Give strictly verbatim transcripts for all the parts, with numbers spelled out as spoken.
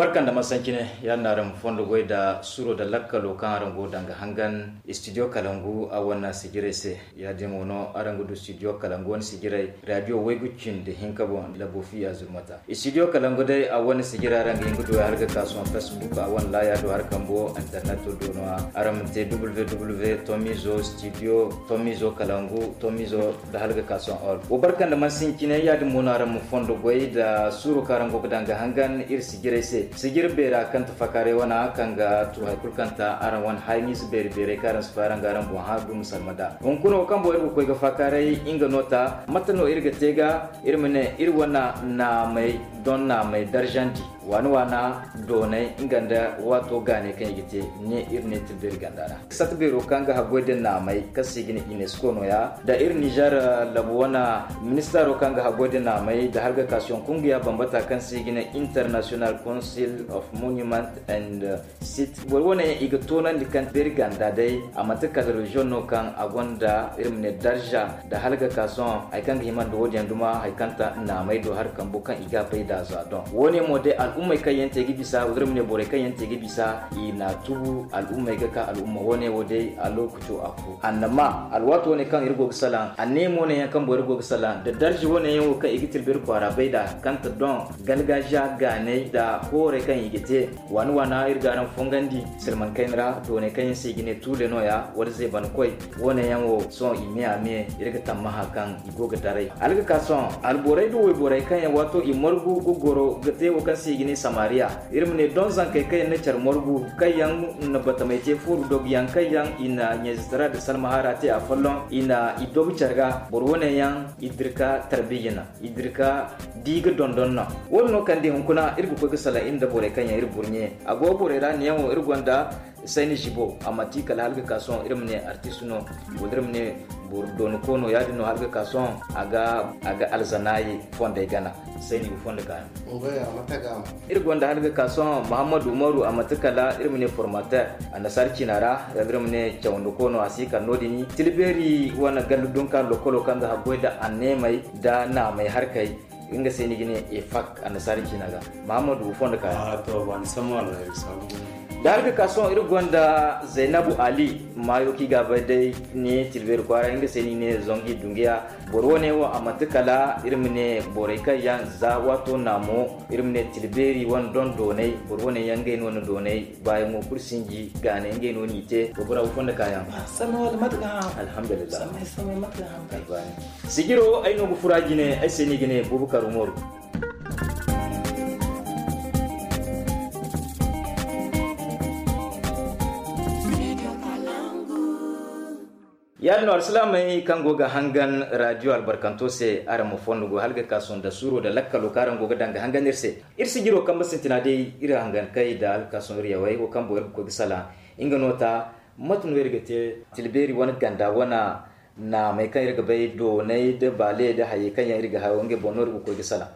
Barka nda masancine. Yaadin no araŋ ma fondo goy nda suro nda lakkalo kaŋ araŋ go ga daŋ ga hangan studio kalangu a wane sijirey se. Yaadin mo no araŋ ga du studio kalangu wane sijirey radio waygu cindi hinka boŋ, labo fiya zurmata. Studio kalangu day a wane sijira araŋ ga hin ga du hala ga ka sohõ facebook a wane laaya do hari kambo internet do no. Araŋ ma te www tomizo studio tomizo kalangu tomizo da hala ga ka sohõ all wo barka nda mansincinay. Yaadin mo no araŋ ma fondo goy nda suuro kaŋ araŋ go ga daŋ ga hangan iri sijirey se. Sijir beera kaŋ ti fakaaray wana kaŋ ga tu hari kulu kaŋ ta araŋ wane haya ɲiize beeri beeray kaŋ araŋ si fay araŋ ga araŋ boŋ hã du ma salma nd'a. Hunkuna wo kaŋ boŋ iri ga koy ga fakaaray nga no ta mate no iri ga te ga iri ma ne iri wane naamay doŋ naamay darzandi waana waana doonay nga nda waato gaanay kaŋ i ga te ne iri ne tilbeeri ganda ra. Sata beero kaŋ ga haggoy da naamay kaŋ se i ga ne unesco nooya nda iri nizer labo wane ministaro kaŋ ga haggoy da naamay nda hargakasiyoŋ kungiya bambata kaŋ se i ga ne international council of monument and site boro wane yaŋ i ga toonandi kaŋ beeri ganda day a manti kala reziyoŋ no kaŋ a gonda iri ma ne darza nda hala ga ka sohõ hari kaŋ ga hima nda wo- din yaŋ duma hari kaŋ ta naamey do hari kambo kaŋ i ga a bay nd'a za doŋ wo- ne mo day al'ummey kaŋ yaŋ te ga bisa wala iri ma ne borey kaŋ yaŋ te ga bisa i n'a tubu al'ummey ga ka al'umma wo- ne wo day a lookaco a fo annama alwaato wo- ne kaŋ iri go ga salaŋ anneemo wo- ne yaŋ kaŋ boro go ga salaŋ nda darza wo- ne yaŋ wo kaŋ i ga tilbiri kwaara bay nd'a kaŋ ta doŋ galgaaziya gaaney nda koorey kaŋ i ga te waana waana iri ga araŋ fongandi silman kayna ra dooney kaŋ yaŋ se i ga ne tuule nooya wala zeeban koy wo- ne yaŋ wo sohõ i me a me iri ga tammaha kaŋ i go ga daray hala ga ka sohõ alborey nda wayborey kaŋ yaŋ waato i margu ga goro ga te wo kaŋ se i ga ne samariya iri ma ne doŋ zankey kaŋ yaŋ na care margu kaŋ yaŋ na batamey te fooru dogu yaŋ kaŋ yaŋ i na ɲayzitara nda salmahara te afolloŋ i na i dogu care ga boro wo- ne yaŋ i dira ka tarbiyya naŋ i dira ka di ga dondon naŋ wo- din no kaŋ day hunkuna iri ga koy ga salaŋ iri nda borey kaŋ yaŋ iri burɲe a go borey ra ne yaŋ wo iri gonda sayni zibo a manti kala hala ga ka sohõ iri ma ne artist no wala iri ma ne boro dooni koono ya- din no hala ga ka sohõ a ga alzanaayi fondey gana sayni ga fondo ka yaŋ iri gonda hala ga ka sohõ mahammadu umaru a manti kala iri ma ne formateur annasaara ciina ra wala iri ma ne cawandi koono a si kala no- din tilbeeri wane gallu dunka lokolo kaŋ ga haggoy nda anneemey nda naamey harkey nga se ni ga ne efak annasaara ciina ga mahammadu ga fondo ka yaŋ da har ga ka sohõ iri gonda zaynabu ali maayo kaŋ i ga a bay day ne tilbeeri kwaara nga se ni ne zangu i dunguya boro wo- ne wo a manti kala iri ma ne borey kaŋ yaŋ za waato naamo iri ma ne tilbeeri wane doŋ doonay boro wo- ne yaŋ ngey no na doonay baayaŋo kulu sinji gaanay ngey no n'i te boro bora wo fondo ka yaŋ alhamdulillah. Sijiro ay no ga fura jine ay se ni ga ne bubakar umaru. Yaadin no alsilaamey kaŋ go ga hangan radio albarkanto se araŋ ma fondo go hala ga ka sohõ nda suuro nda lakkalo kaŋ araŋ go ga daŋ ga hangan iri se. Iri sijiro kambe sintina day iri hangan kay nda hala ga ka sohõ iri yawey wo kaŋ boŋ iri ga koy ga salaŋ nga no ta mate no iri ga te tilbeeri wane ganda wane naamey kaŋ iri ga bay doonay nda baale nda hayey kaŋ yaŋ iri ga hayo ngey boŋ no iri ga koy ga salaŋ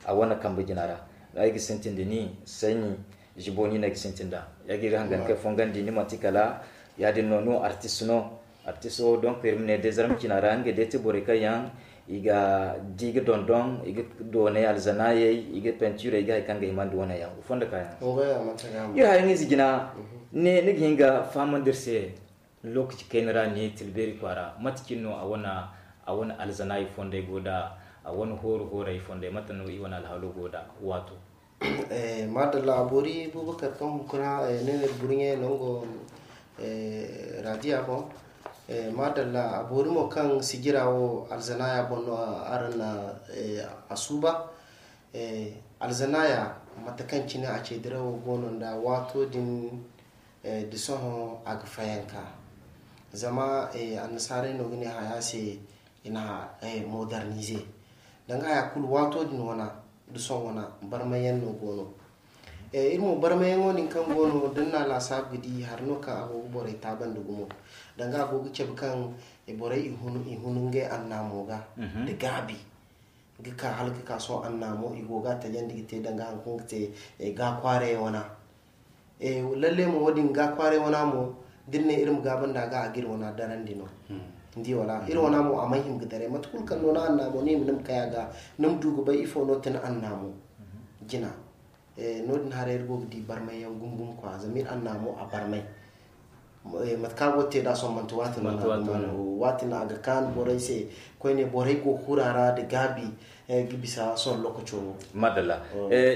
a wane kambe jina ra. Ay ga sintin da ni sayni zibo ni no ay ga sintin da ya ga iri hangan kay fongandi ni manti kala ya- din no ni wo artist no artist wo donc iri ma ne day zarma cina ra ngey day ti borey kaŋ yaŋ i ga di ga dondon i ga doonay alzanaayey i ga peinture i ga hari kaŋ ga himandi wane yaŋ ga fondo ka yaŋ. Iri hayaŋ ize jina ne ni ga hin ga fahamandi iri se lokaci kayna ra ne tilbeeri kwaara mate cine no a wane alzanaayi fondey go nda a wane hooru hoorey fondey mate no i wane alhaalo go nda waato. Madalla a boori bubakar kaŋ hunkuna ne ne burɲe nango radiya boŋ. Madalla a boori mo kaŋ sijira wo alzanaya boŋ no araŋ na a suuba. Alzanaya mate kaŋ cine a ce dirawo go no nda waato din da sohõ a ga fayanka. Zama annasaarey no ga ne haya se i na modernize danga haya kulu waato din wana da sohõ wana barmayaŋ no go no. Iri mo barmayaŋo din kaŋ go no da ni na a laasaabu ga di hari no kaŋ a go ga borey taabandi gumo. Danga a go ga cabe kaŋ borey i hunu ngey annaamo ga da gaabi ga ka hala ga ka sohõ annaamo i go ga a tajandi ga te danga hari kaŋ ga te gaakwaarey wana. Lalle mo wo- din gaakwaarey wana mo da ni ne iri ma gaabu nda a ga a ga iri wana darandi no. Ni di wala iri wana mo a mana hima ga daray mate kulu kaŋ no ni annaamo ni hima ni ma kay a ga ni ma du ga bay ifo no ti ni annaamo jina. No- din haray iri go ga di barmay yaŋ gumo gumo kwa zama iri annaamo a barmay. Mate kaŋ a go ga te da sohõ manti waati no a ga kaan borey se. Koyne borey go ga huru a ra nda gaabi ga bisa sohõ lokaco wo. Madalla.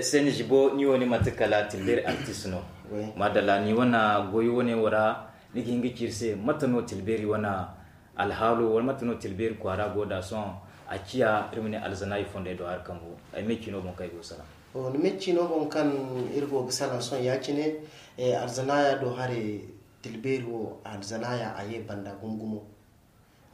Seni zibo ni wo ni manti kala tilbeeri artist no. Madalla ni wane goyo wane wo ra ni ga hin ga ci iri se mate no tilbeeri wane alhaalo wala mate no tilbeeri kwaara go da sohõ? A ciya iri ma ne alzanaayi fondey do hari kambo ay me ciino boŋ kaŋ ay go ga salaŋ. Ni me ciino boŋ kaŋ iri go ga salaŋ sohõ ya- cine. Alzanaaya do hare tilbeeri wo alzanaaya a ye banda gumo gumo.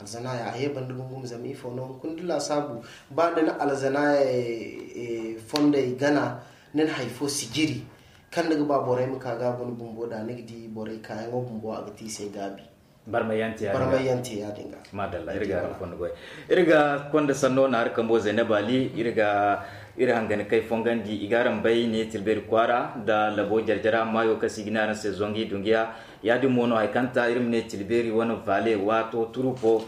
Alzanaaya a ye banda gumo gumo zama ifo no hunkuna da laasaabu ba da ni alzanaaya fondey gana ni na hari fo sijiri kaŋ ni ga ba borey ma ka ga a guna bumbo da ni ga di borey kaayaŋo bumbo a ga te i se gaabi. Barmayyante ya- din ga. Madalla iri ga konda sanno na hari kambo zainab ali iri ga iri hangani kay fongandi i ga araŋ bay ne tilbeeri kwaara nda labo jarjara maayo kaŋ se i ga ne araŋ se zongi dungiya. Ya- din mo no hari kaŋ ta iri ma ne tilbeeri wane vaale waato turupo.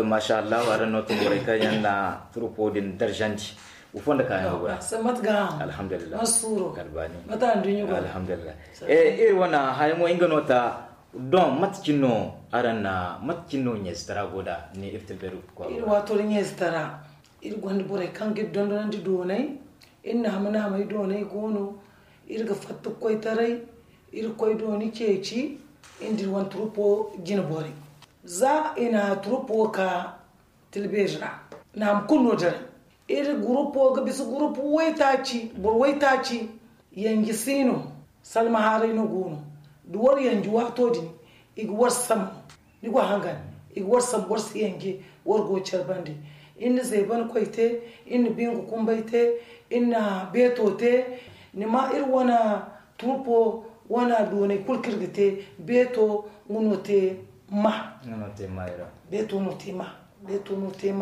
Masha allahu araŋ no tumborey kaŋ yaŋ na turupo din darjandi. Wo fondo kaayaŋo go ra. Alhamdulillah. Alhamdulillah. Iri wane hayaŋo nga no ta. Don mate cine no araŋ na mate cine no ɲeezitara go da ne iri tilbeeri kwaara? Iri waato da ɲeezitara iri gonda borey kaŋ ga iri dondonandi doonay. Iri naama naamay doonay go no. Iri ga fatta ga koy taray. Iri ga koy dooni ceeci. Iri nda iri wane turupo jine borey za i na turupo ka tilbeeri ra. Naama kulu no diray. Iri gurupo ga bisa gurupu waytaaci boro waytaaci. Yanji si no. Salma haaray no go no. Da war yanji waato din i ga war sambu. Ni go hangan i ga war sambu war si yanji. War go care bande. Iri na zeeban koy te. Iri na bingu kumbay te. Iri na beeto te. Ni ma iri wane turupo wane doonay kulu kaŋ iri ga te. Beeto nga no te ma. Beeto no te ma.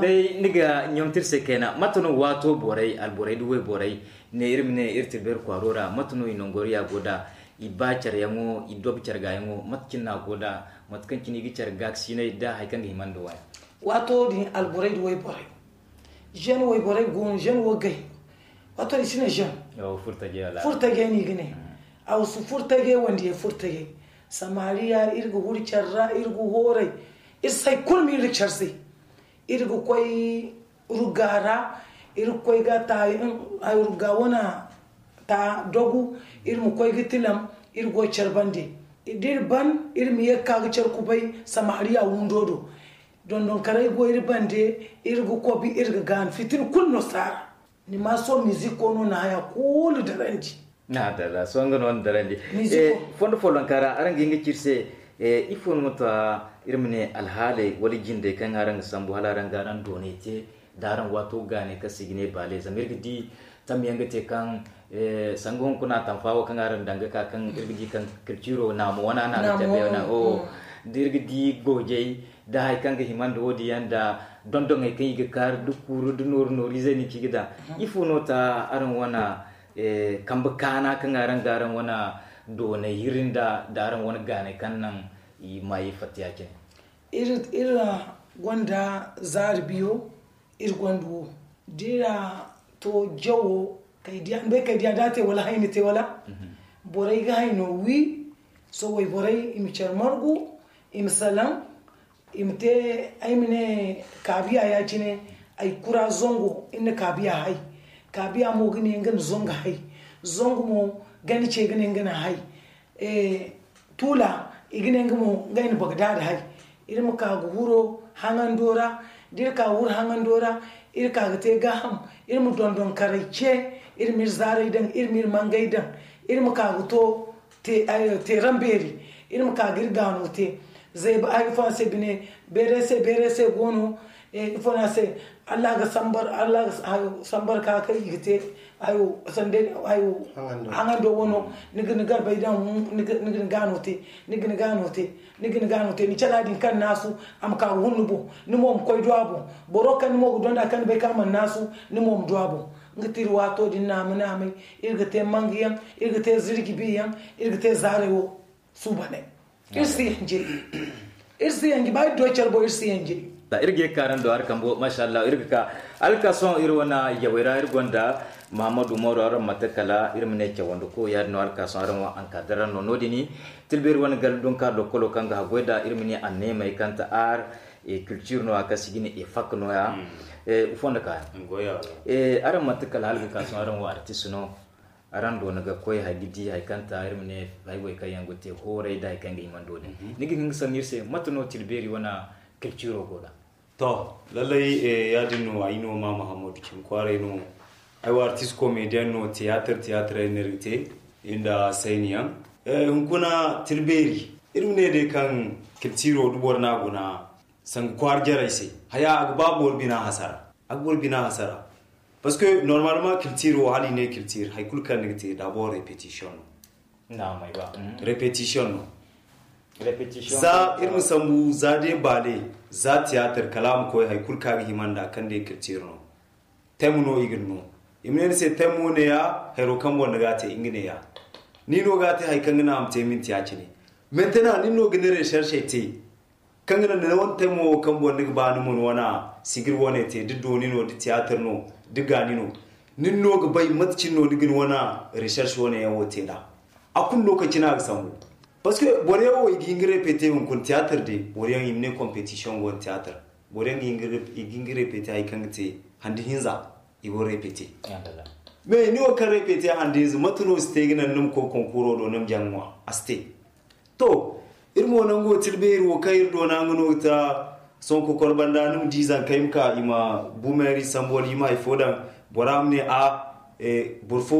Day ni ga ɲamti iri se kayna mate no waato borey alborey da wayborey ne iri ma ne iri tilbeeri kwaaro ra mate no i nangoriya go da? I ba careyaŋo i dob care gaayaŋo mate cine no a go da? Mate kaŋ cine i ga care gaakasinay da hari kaŋ ga hima nda waya. Waato din alborey da wayborey zen wayborey go no zen wo gay. Waato i si ne zen. Furtajey no i ga ne. A wasu furtajey wandiyey furtajey. Samariya iri ga huri care ra iri ga hooray. Iri si hari kulu ma iri care se. Iri ga koy rugga ra. Iri ga koy ga ta rugga wane ta dogu. Iri ma koy ga tilam. Iri go care bande da iri ban iri ma ye ga ka ga care kubay samariya windo do. Dondonkarey go iri bande. Iri ga kobi iri ga gaanu fitina kulu no si a ra. Ni ma sohõ mizik ko no na haya kulu darandi. Adalla sohõ nga no ni darandi. Fondo follonka ra araŋ ga hin ga ci iri se ifo no ta iri ma ne alhaaley wala jindey kaŋ araŋ ga sambu hala araŋ ga araŋ doonay te da araŋ waato gaanay kaŋ se i ga ne baale zama iri ga di tamyaŋ ga te kaŋ sanga hunkuna tamfa wo kaŋ araŋ daŋ ga ka kaŋ iri ga di kaŋ kilciro naamo wana no a ga cabe wana o da iri ga di goojey da hari kaŋ ga hima nda wo- din yaŋ da dondoŋey kaŋ i ga kaari da kuuru da nooru nooru izey no ci ga daŋ. Ifo no ta araŋ wana kambe kaana kaŋ araŋ ga araŋ wane doonay iri nda da araŋ wane gaanay kaŋ naŋ i maayi fatta ya- cine? Iri ra gonda zaari biyo. Iri gonda wo da iri a to jawo kay diya ni bay kay diya da a te wala hayni te wala borey ga hayno wi. Sohõ wayborey i ma care margu i ma salaŋ. I ma te ay ma ne kaabiya ya- cine. Ay kura zango iri na kaabiya hay. Kaabiya mo ga ne nga na zango hay. Zango mo gani ce ga ne nga na hay. Tuula i ga ne nga mo ngey na bagdaada hay. Iri ma ka ga huro haŋando ra. Da iri ka ga huro haŋando ra iri ka ga te gaaham. Iri ma dondonkaray ce. Iri ma iri zaarey daŋ iri ma iri mangey daŋ. Iri ma ka ga to teeran beeri. Iri ma ka ga iri gaano te. Zayba hari ifo no a se bine beerey se beerey se go no. Ifo no a se allah ga sambar allah ga sambar ka kaŋ i ga te. Hayo sanda hayo haŋando wano. Ni ga ni garbey daŋ ni ga ni gaano te. Ni ga ni gaano te ni ga ni gaano te ni cala din kaŋ naasu a ma ka ga hun ni boŋ. Ni mo ma koy do a boŋ. Boro kaŋ ni mo ga donda kaŋ ni bay kaŋ a mana naasu ni mo ma do a boŋ. Nga ti iri waato din naama naamay. Iri ga te mangayaŋ iri ga te zirji biyaŋ. Iri ga te zaaray wo suubanay. Iri si yanjay. Iri si yanjay ba iri do care boŋ iri si yanjay. Iri ga ye ka araŋ do hari kambo, masha Allah. Iri ga ka alkason iri wane yawey ra, iri gonda Mahamadu Umaru. Araŋ mate kala iri ma ne cawandi ko, yaadin no alkason araŋ wo ankadara no noodin. Tilbeeri wane gala dunka lokkolo kaŋ ga haggoy da iri ma ne anneemey kaŋ ta ar e culture no ya, kaŋ si ga ne e fak no ya. Ifo nda ka yaŋ. Araŋ mate kala hala ga ka sohõ araŋ wo artist no. Araŋ do ni ga koy hari ga di hari kaŋ ta iri ma ne, hari wey kaŋ yaŋ go te hooray da hari kaŋ ga hima ni do din, ni ga hin ga sanni iri se mate no tilbeeri wane culturo go da? To, lallay, yaadin no ay no ma Mahamadu cimi kwaaray no. Ay wo artist comédien no, théâtre théâtre ay no iri ga te, iri nda sayni yaŋ. Hunkuna tilbeeri, iri ma ne day kaŋ culturo da boro no a guna sanga kwaara jarey se, haya a ga ba boro bina hasara. A ga boro bina hasara. Parce que normalement culture wo, hala i ne culture, hari kulu kaŋ ni ga te d'abord répétition no. Répétition no. Za iri ma sambu, za day baale, za théâtre, kala a ma koy hari kulu kaŋ a ga hima nd'a kaŋ day culture no. Thème no i ga ni no. I ma ne ni se thème wo neeya, hayro kaŋ boŋ ni ga a te nga neeya. Ni no ga a te hari kaŋ ga naŋ a ma te minti ya-cine. Maintenant nin no ga ni recherche te. Kaŋ ga naŋ ni wane thème wo kaŋ boŋ ni ga ba ni ma ni wane sigir wane te, da dooni no, da théâtre no, da gaani no. Nin no ga bay mate cine no ni ga ni wane recherche wane yaŋ wo te nd'a. A kulu lokaci no a ga sambu. Parce que boro yaŋ wo i ga hin ga répéter hunkuna théâtre day, boro yaŋ i ma ne compétition go no théâtre. Boro yaŋ i ga hin ga répéter hari kaŋ ga te handi hinza, i go répéter. Mais ni wo kaŋ répéter handi hinza, mate no si te ga naŋ ni ma koy concours do ni ma jaŋ ŋwa? A si te. To, iri mo nango tilbeeri wo kaŋ iri doona nga no ga ta. Sohõ kokoro banda ni ma di zankey ma ka i ma bu meeri sambu wala i ma hari fo daŋ. Bora ma ne a, boro fo,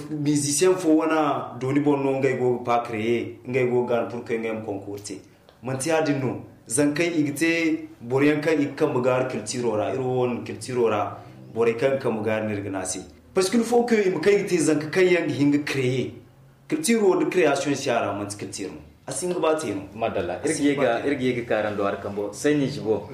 musicien fo wane dooni boŋ no ngey go ga pas créer, ngey go ga gaana pour que ngey ma concours te. Manti yaadin no. Zankey i ga te boro yaŋ kaŋ i ga kambe gaari culturo ra, iri wo wane culturo ra borey kaŋ ga kambe gaari no iri ga ne a se. Parce que il faut que i ma kay ga te zanka kaŋ yaŋ ga hin ga créer. Culture wo da création si a ra, manti culture no. A si hin ga ba te no. Madalla. Iri ga ye ga ka araŋ do hari kambo sayni zibo.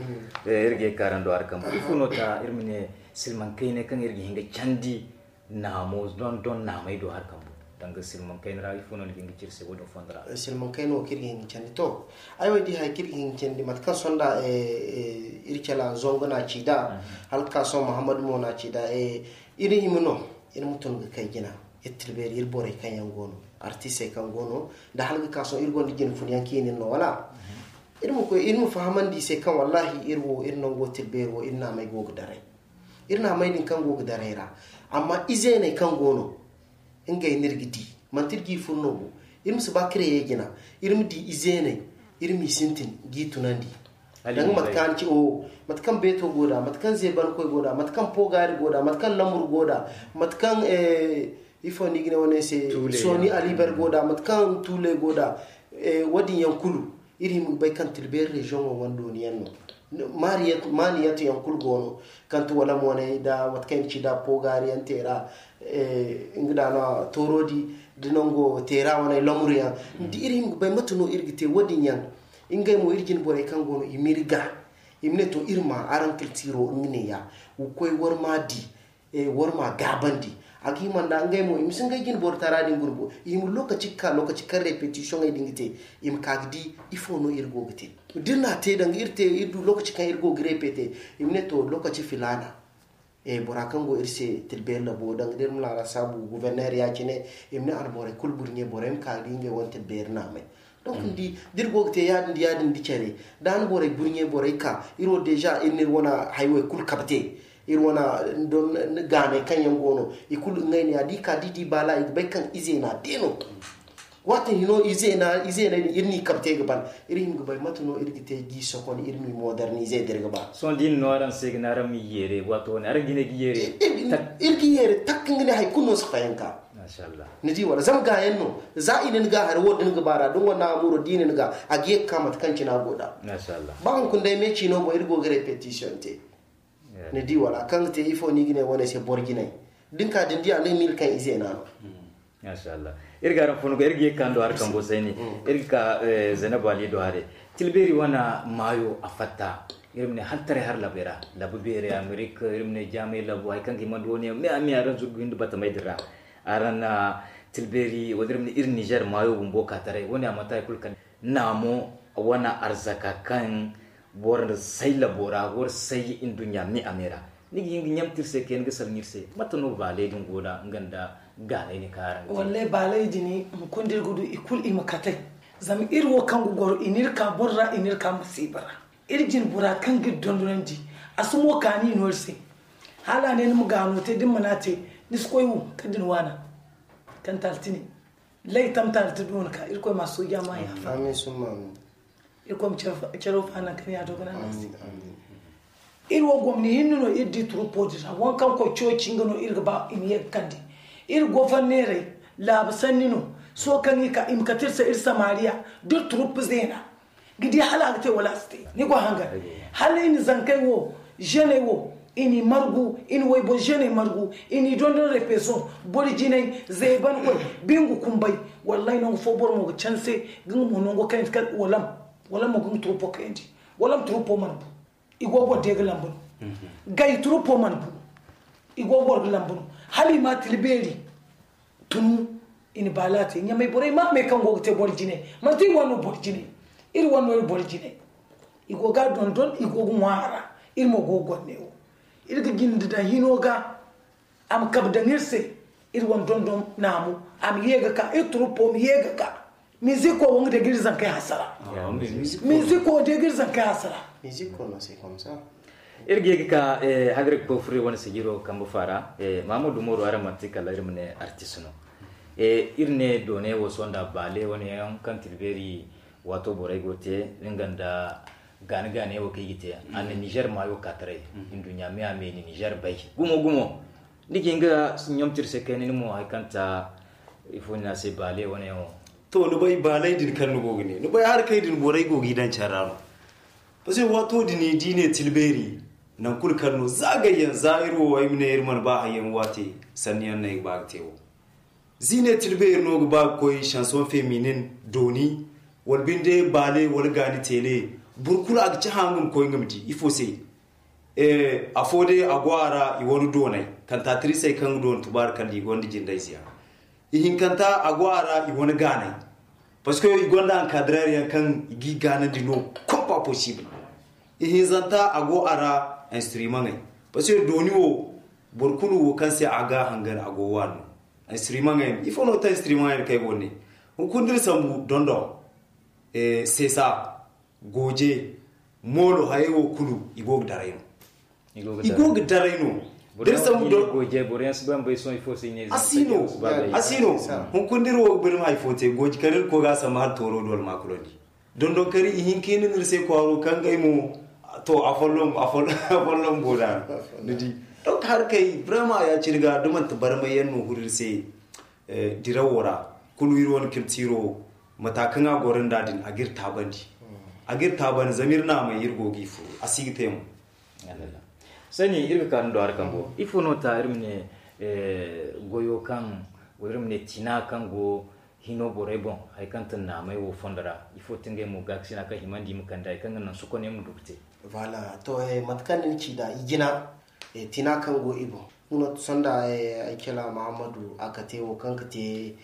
Iri ga ye ga ka araŋ do hari kambo ifo no ta iri ma ne silmaŋ kayna kaŋ iri ga hin ga candi naamo don don naamey do hari kambo? Danga silmaŋ kayna ra ifo no ni ga hin ga ci iri se wo- din fondo ra? Silmaŋ kayna wo kaŋ iri ga hin ga candi to, ay wo ay di hari kaŋ iri ga hin ga candi mate kaŋ sonda iri cala zango no a ci nd'a, hala ga ka sohõ muhammadu mo no a ci nd'a. Iri hima no iri ma tun ga kay jina. Iri tilbeeri iri borey kaŋ yaŋ go no, artistey kaŋ go no, nda hala ga ka sohõ iri gonda jina fun yaŋ kaŋ i na iri no wala? Iri ma koy iri ma fahamandi i se kaŋ wallahi iri wo iri nango tilbeeri wo iri naamey go ga daray. Iri naamey din kaŋ go ga daray ra. Amma izeeney kaŋ go no, ngey no iri ga di. Manti iri g'i fur no bo. Iri ma si ba créer jina. Iri ma di izeeney, iri m'i sintin g'i tunandi. Danga mate kaŋ ni ci o, mate kaŋ beeto go nd'a, mate kaŋ zeebankoy go nd'a, mate kaŋ poogaari go nd'a, mate kaŋ lamur go nd'a, mate kaŋ ifo no i ga ne wane se, sooni aliber go nd'a, mate kaŋ tuule go nd'a. Wo- din yaŋ kulu iri hima ga bay kaŋ tilbeeri région wo wane dooni yaŋ no. Maaniyat yaŋ kulu go no, kaŋ ti wala mooney nda mate kaŋ i ga ci nd'a poogaari yaŋ teera. Nga da no tooroodi, da nango teera wane lamuru yaŋ. Ni di iri hima ga bay mate no iri ga te wo- din yaŋ. Ngey mo iri jine borey kaŋ go no i m'iri ga, i ma ne to iri ma araŋ culturo nga neeya. Wa koy war ma di, war ma gaabandi. A ga hima nda ngey mo i ma si ngey jine boro tara din guna bo. I hima lokaci ga ka lokaci kaŋ répétitioney din ga te, i ma ka ga di ifo no iri go ga te. Da iri n'a te danga iri te iri du lokaci kaŋ iri go ga répéter, i ma ne to lokaci filaana. Bora kaŋ go iri se tilbeeri labo danga da iri ma laara saabu gouverneur ya- cine, i ma ne alborey kulu burɲe borey ma ka ga di ngey wane tilbeeri naamey. Donc ni di da iri go ga te ya- din da ya- din da care, da ni borey burɲe borey ka iri wo déjà iri na iri wane haywey kulu kabe te. Iri wane gaaney kaŋ yaŋ go no, i kulu ngey ne ya da i ka da i di baala i ga bay kaŋ izeena de no. Waati hino izeeney din iri n'i kabe te ga ban. Iri hima ga bay mate no iri ga te g'i sokon iri m'i moderniser da iri ga ba. Sohõ da i na no araŋ se ga ne araŋ m'i yeere waato wane araŋ ga ne ga yeere? Iri ga yeere tak nga ne hari kulu no si fayanka. Ni di wala zama gaayaŋ no, za i na ni ga hari wo da ni ga ba ra da ni wane amuro da i na ni ga, a ga ye ga ka mate kaŋ cine a go nd'a. Ba hunkuna day me ciino boŋ iri go ga répétition te. Ni di wala kaŋ ga te ifo no i ga ne wane se boro jinay? Da ni ka da ni di a ni ga miila kaŋ izeena no. Masha Allah. Iri ga araŋ funu ga iri ga ye ga ka ni do hari kambo sayni. Iri ga ka Zainabu Ali do hari. Tilbeeri wane maayo a fatta. Iri ma ne hala taray hari labey ra, labu beerey Amerik, iri ma ne jaamay labu hari kaŋ ga hima nda wo- ne yaŋ me a me araŋ zurgu hinda batamey din ra. Araŋ na tilbeeri wala iri ma ne iri Nizer maayo bumbo ka taray wo- ne a manti hari kulu kala naamo wane arzaka kaŋ Boro nda say labo ra, boro say nduɲɲa me a me ra. Ni ga hin ga ɲamti iri se, kay ni ga salaŋ iri se, mate no baaley din go da nga nda gaanay ni kaara? Wallahi, baaley din, hunkuna da iri ga du i kulu, i ma katay. Zama iri wo kaŋ ga goro, i n'iri ka boro ra, i n'iri ka masiiba ra. Iri jine bora kaŋ ga iri dondonandi, a si mo kaani no iri se. Hala a ne ni ma gaano te, da ni mana te, ni si koy wo kala da ni waana. Kan taali tine, lay tam taali ti doona ka, Irkoy ma sooja ma yaafa. Amin summa amin. Irkoy ma care fo a naŋ kaŋ ya do ga naŋ a se. Iri wo gomni hinne no iri di turupo din ra, waŋ kaŋ koy cooci nga no iri ga ba i ma ye ga kande. Iri goforneerey laabu sanni no. Sohõ kaŋ i ka i ma kate iri se iri samariya da iri turupo zeena ga di hala a ga te wala a si te. Ni go hangan, hala i na zankey wo, ženey wo, i n'i margu, i na wayboro ženey margu, i n'i dondon repeson, boro jinay, zeebankoy, bingu kumbay. Wallahi nangu fo boro mo ga canse ga nga mo nango kayandi kala walam. Walam mo ga nga turupo kayandi. Walam turupo mana bu. I go boro de ga lambu no. Gay turupo mana bu. I go boro ga lambu no. Hala i ma tila beeri tunu. I na baala te ɲamay borey ma a may kaŋ go ga te boro jinay. Manti iri wane no boro jinay. Iri wane no iri boro jinay. I go ga a dondon, i go ga ŋwa a ra. Iri mo go ga goro neewo. Iri ga jinde daŋ hino ga. A ma kabe daŋ iri se. Iri wane dondon naamu a ma ye ga ka, iri turupo ma ye ga ka. Miziko wo nga day ga iri zankey hasara. Miziko day ga iri zankey hasara. Miziko no se komsa. Iri ga ye ga ka, hagar ga koy furo iri wane sijiro kambe faara. Mahamadu umaru, araŋ manti kala iri ma ne artist no. Iri ne doone wo sohõ nda baale wane yaŋ kaŋ tilbeeri waato borey go te nga nda gaani gaani wo kaŋ i ga te. A na nizer maayo ka taray. Nduɲɲa me a me ni nizer bay gumo gumo. Ni ga hin ga ɲamti iri se kayna ni mo hari kaŋ ta ifo ni ne a se baale wane yaŋo. To ni bay baaley din kaŋ ni go ga ne ni bay hari kay din borey go ga i daŋ care ra no. Parce que waato din i di ne tilbeeri naŋ kulu kaŋ no za gayyaŋ za iri wo ay ma ne iri mana ba hayyaŋ waate sanni yaŋ no ay ga ba ga te wo. Za i ne tilbeeri no ga ba ga koy chanson feminin dooni wala binde baale wala gaani teele. Boro kulu a ga ci hanga ma koy nga ma di ifo se. Afo day a go a ra i wane doonay kantatirisey kaŋ ga doona tubaari kala i gonda jindayzeyaŋ. Ihinkanta a go a ra i wane gaanay. Parce que i gonda encadreur yaŋ kaŋ i g'i gaanandi no. Comme pas possible. Ihinzanta a go a ra instrumentey. Parce que dooni wo boro kulu wo kaŋ se a ga hangan a go waani no. Instrumentey ifo no ta instrumentey kaŋ ay go ne hunkuna da iri sambu dondon. Seesa, gooje, moolo hayey wo kulu i go ga daray no. I go ga daray no. Da iri sambu don gooje boro yaŋ si bay ma bay sohõ ifo se i ne a si no. A si no. Hunkuna da iri wo ga bay ma hari fo te gooji kala iri koy ga a sambu hala tooro do almakulandi. Dondon kari ihinka hinne no iri se kwaaro kaŋ ngey mo to afolloŋ afolloŋ boda. Ni di donc hari kay vraiment ya cine ga da manti barmay yaŋ no huru iri se. Dirawo ra kulu iri wane kiltiro mata kaŋ a goro nda din a ga iri taabandi. A ga iri taabandi zama iri naamay iri go ga i furu a si ga te mo. Sani iri ga ka ni do hari kambo ifo no ta iri ma ne goyo kaŋ wala iri ma ne tina kaŋ go hino borey boŋ hari kaŋ ta naamay wo fondo ra ifo ta ngey mo gaakasina kaŋ himandi i ma kande hari kaŋ ga naŋ sokoney ma du ga te. Voilà to mate kaŋ ni na ci nd'a i jina tina kaŋ go i boŋ. Nga no sanda ay cala mahammadu a kate wo kaŋ ka te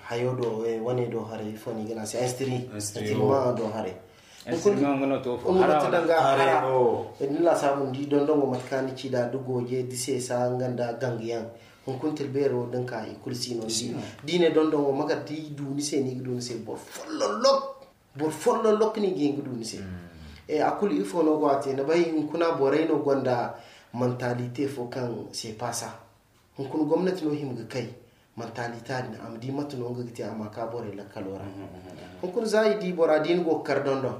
hayo do wane do haray ifo no i ga ne a se instri instri ma do haray. Hunkuna mate danga hara da ni laasaabu ni di dondongo mate kaŋ ni ci nd'a da gooje da seesa nga nda gangayaŋ. Hunkuna tilbeero da ni ka i kulu si no ni di da i ne dondongo magar da i du ni se no i ga du ni se boro folloŋ lok. Boro folloŋ lok no i ga hin ga du ni se. A kulu ifo no go a te ni bay hunkuna borey no gonda mantalite fo kaŋ se paasa. Hunkuna gomnati no hima ga kay mantalita din a ma di mate no nga ga te a ma ka borey lakkalo ra. Hunkuna za i di bora da i na go ga kar dondon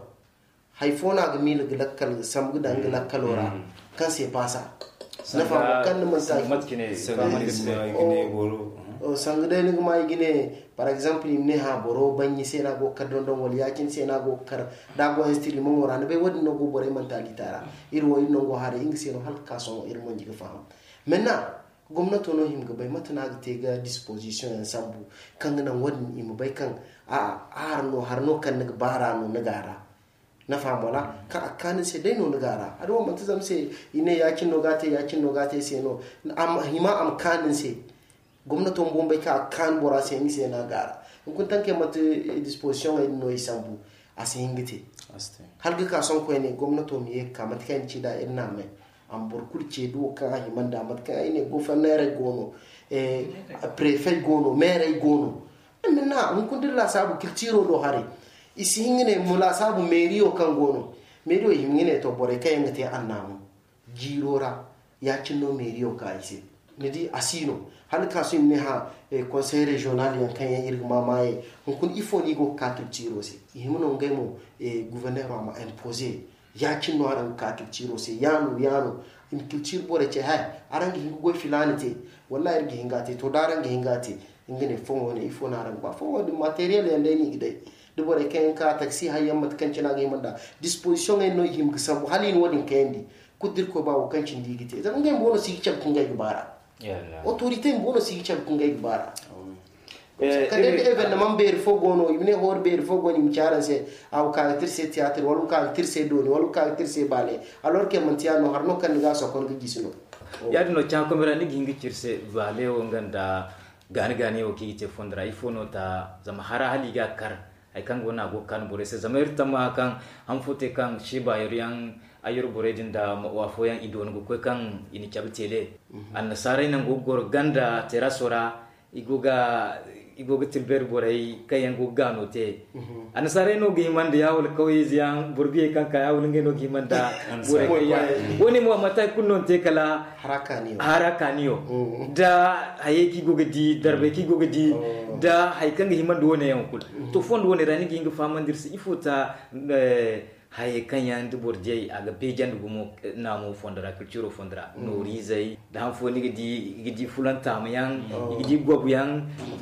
hari fo no a ga miila ga lakkal sambu ga daŋ nga lakkalo ra. Kaŋ se paasa nafa mo kaŋ ni manti a ga ne sanga day ni ga ma i ga ne par exemple i ma ne ha boro baŋ ni se no a go ga kar dondon wala ya- cine se no a go ga kar da a go instri maŋo ra ni bay wo- din no go borey mantalita ra. Iri wo iri nango haray nga se no hala ga ka sohõ iri monji ga faham. Maintenant gomnato no hima ga bay mate no a ga te ga disposition yaŋ sambu kaŋ ga naŋ wo- din i ma bay kaŋ a a har no har no kaŋ ni ga baara no ni ga a ra. Nafa mo ra kaŋ a ga kaanu ni se day no ni ga a ra a da wo manti zama se i ne ya- cine no ga a te ya- cine no ga a te se no. Hima a ma kaanu ni se. Gomnato ma boŋ bay kaŋ a ga kaanu bora se nga se no a ga a ra. Hunkuna tankey manti disposition ey din no i sambu a si hin ga te. Hala ga ka sohõ koyne gomnato ma ye ga ka mate kaŋ ay na ci nd'a iri naamay. A ma boro kulu ce duwo kaŋ a hima nd'a mate kaŋ ay ne goforneerey go no, prefey go no, meerey go no. Amma hunkuna da iri laasaabu kiltiiro do haray, i si hin ga ne mo laasaabu meeriyo kaŋ go no. Meeriyo i hima ga ne to borey kaŋ yaŋ ga te annaamu jiiro ra, ya-cine no meeriyo ka i se. Ni di a si no hala ka sohõ i ma ne hã, konsey reziyonal yaŋ kaŋ yaŋ iri ga maamaayey hunkuna ifo no i go ga ka kiltiiro se? I hima no ngey mo guforneero a ma impoze. Ya-cine no araŋ ga ka kiltiiro se yaano yaano. I ma kiltiiro borey ce hay, araŋ ga hin ga goy filaana te? Wallaahi iri ga hin ga a te to da araŋ ga hin ga a te. Nga ne foŋo ne ifo no araŋ ga ba foŋo din materiyel yaŋ day no i ga day. Da borey kaŋ yaŋ ga ka taksi hari yaŋ mate kaŋ cine a ga hima nd'a dispozisioŋey no i hima ga sambu hala i na wo- din kayandi. Kulu da irkoy ba wo kaŋ cine da i ga te zama ngey bumbo no si ga care ga ngey ga baara. Otorite bumbo no si ga care ga ngey ga baara. Kala day da evenemaŋ beeri fo go no i ma ne hoori beeri fo go no i ma ci araŋ se, a ga ka ga tira se tiyaatir wala ga ka ga tira se dooni wala ga ka ga tira se baale. Alor ke manti yaadin no hari no kaŋ ni ga a sokon ga gisi no. Yaadin no caakomi ra ni ga hin ga ci iri se baale wo nga nda gaani gaani wo kaŋ i ga te fondo ra ifo no ta zama hara hala i ga a kar. Hari kaŋ go no a go ga kaanu borey se zama iri tammaha kaŋ han fo te kaŋ seeba yoro yaŋ ayyoro borey din nda afooyaŋ i dooni ga koy kaŋ i na cabe teele. Annasaarey nango ga goro ganda teraso ra i go ga i go ga tilbeeri borey kaŋ yaŋ go ga gaano te. Annasaarey no ga himandi ya wala kawyeyze yaŋ boro biyey kaŋ ka ya wala ngey no ga himanda borey kaŋ ya. Wo- ne mo a manti hari kulu no ni te kala hara kaaniyo da hayey kaŋ i go ga di darbey kaŋ i go ga di da hari kaŋ ga himandi wo- ne yaŋ kulu. To fondo wo- ne ra ni ga hin ga fahamandi iri se ifo ta hayey kaŋ yaŋ da boro diyey a ga beejandi gumo naamo fondo ra kilciro fondo ra nooriizey da han fo ni ga di i ga di fulantaama yaŋ i ga di gobu yaŋ.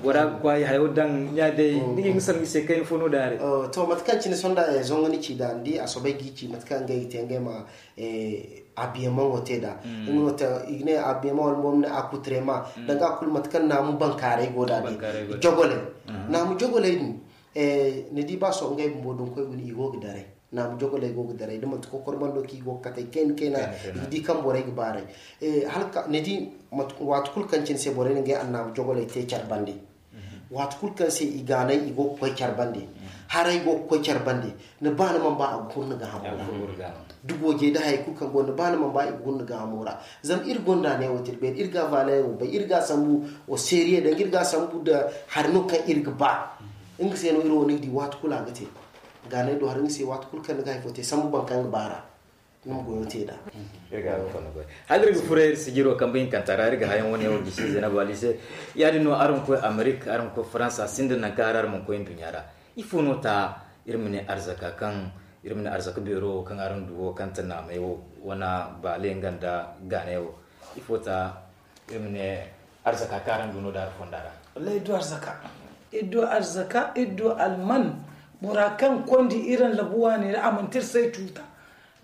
Bora ga kwaay hayo daŋ ɲa day ni ga hin ga salaŋ i se kayna fo no daare. To mate kaŋ cine sonda zongo ni ci da ni di a soobay ga i ci mate kaŋ ngey ga te ngey ma abiyaŋ maŋo te da. I ga ne abiyaŋ maŋ wala mo ma ne a kuturema danga a kulu mate kaŋ naamu bankaaray go da din jogoley naamu jogoley din. Ni di ba sohõ ngey bumbo da ni koy guna i go ga daray naamu jogoley go ga daray da manti kokor bando kaŋ i go ga katay kayna kayna. I ga di kaŋ borey ga baaray ni di waati kulu kaŋ cine se borey na ngey annaamu jogoley te care bande. Waati kulu kaŋ se i gaanay i go ga koy care bande haray go ga koy care bande. Ni ba ni mana ba a ga huru ni gaahamo ra da goojey da hayey kulu kaŋ go ni ba ni mana ba i ga huru ni gaahamo ra. Zama iri gonda neewo te iri beeri iri ga a vaaleyaŋo bay iri ga a sambu au sérieux danga iri ga a sambu nda hari no kaŋ iri ga ba. Nga se no iri wo ni ga di waati kulu a ga te. Gaanay do hari nga se waati kulu kaŋ ni ga hari fo te sambu boro kaŋ ga ba ra ni ma goyo te nd'a. Hala iri ga furo iri sijiro kambe hinkanta ra iri ga hayaŋ wane wo gisi zainabu ali se. Ya- din no araŋ ga koy amerik araŋ ga koy faransa sinda nangu kaŋ hari araŋ mana koy nduɲɲa ra. Ifo no ta iri ma ne arzaka kaŋ iri ma ne arzaka beero wo kaŋ araŋ du wo kaŋ ta naamay wo wane baale nga nda gaanay wo? Ifo ta iri ma ne arzaka kaŋ araŋ du no da hari fonda ra? Wallaahi iri du arzaka. Iri du arzaka iri du alman. Bora kaŋ kondi iri labu waani ra a manti iri se ay cuuta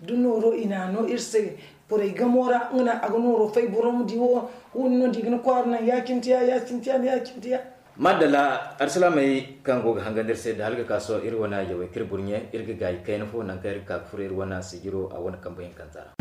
da nooro i na a no iri se borey gamo ra nga no a ga nooro fay boro ma di wo. Huuni no da i ga ni kwaara naŋ ya-cine te ya ya-cine te ya ya-cine te ya. Madalla arsilaamey kaŋ go ga hangandi iri se da hala ga ka sohõ iri wane yawey kaŋ iri burɲe iri ga gaayi kayna fo nangu kaŋ iri ga ka ga furo iri wane sijiro a wane kambe hinkanta ra.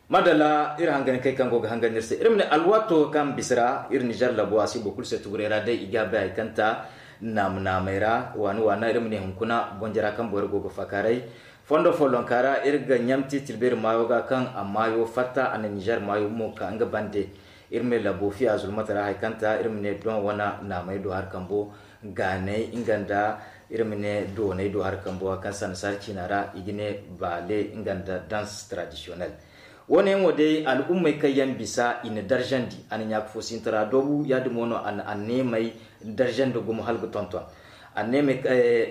Madalla iri hanganikey kaŋ go ga hangan iri se iri ma ne alwaato kaŋ bisa ra iri nizer labo a si boro kulu se tuguray ra day i ga bay hari kaŋ ta naama naamay ra waani waana iri ma ne hunkuna bonjara kaŋ boro go ga faakaaray. Fondo follonka ra iri ga ɲamti tilbeeri maayo ga kaŋ a maayo fatta a na nizer maayo mo ka nga bande. Iri ma ne labo fiya zulmata ra hari kaŋ ta iri ma ne doŋ wane naamay do hari kambo gaanay nga nda iri ma ne doonay do hari kambo hari kaŋ sanda saari ciina ra i ga ne baale nga nda danse tradisiyonel. Wo- ne yaŋ wo day al'ummey kaŋ yaŋ bisa i na darzandi a na ɲaaka fo sintara doobu ya- din mo no a na anneemey darzandi gumo hala ga tonton. Anneemey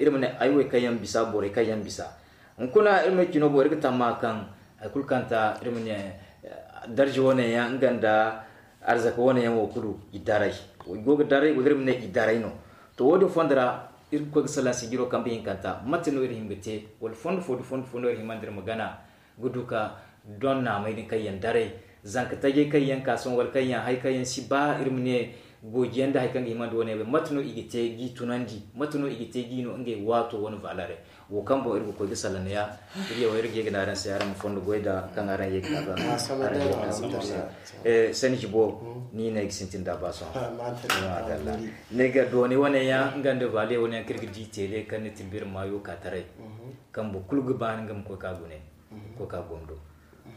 iri ma ne ay wo kaŋ yaŋ bisa borey kaŋ yaŋ bisa hunkuna iri ma cino boŋ iri ga tamma kaŋ hari kulu kaŋ ta iri ma ne darza wo- ne yaŋ nga nda arzaka wo- ne yaŋ wo kulu i daray. I go ga daray wala iri ma ne i daray no. To wo- din fondo ra iri ga koy ga salaŋ sijiro kambe hinkanta mate no iri hin ga te wala fondo fo da fondo fo no iri himandi iri ma gana ga du ka doŋ naamey din kaŋ yaŋ daray zanka tajey kaŋ yaŋ ka sohõ wala kaŋ yaŋ hari kaŋ yaŋ si ba iri ma ne Goojiyaŋ da hari kaŋ ga hima nda wane bay, mate no i ga te g'i tunandi? Mate no i ga te g'i no ngey waato wane valere? Wo kaŋ boŋ iri ga koy ga salaŋ ya, iri yaw iri ga ye ga ne araŋ se araŋ ma fondo goy da kaŋ araŋ ye ga ne araŋ ma fondo se. Sanji bo ni ne ay ga sintin da ba sohõ. Ni ga dooni wane yaŋ nga nda vale wane yaŋ kaŋ iri ga di tele kaŋ ni tilbir maayo ka taray, kaŋ boro kulu ga ba nga ma koy ka gune, koy ka gondo.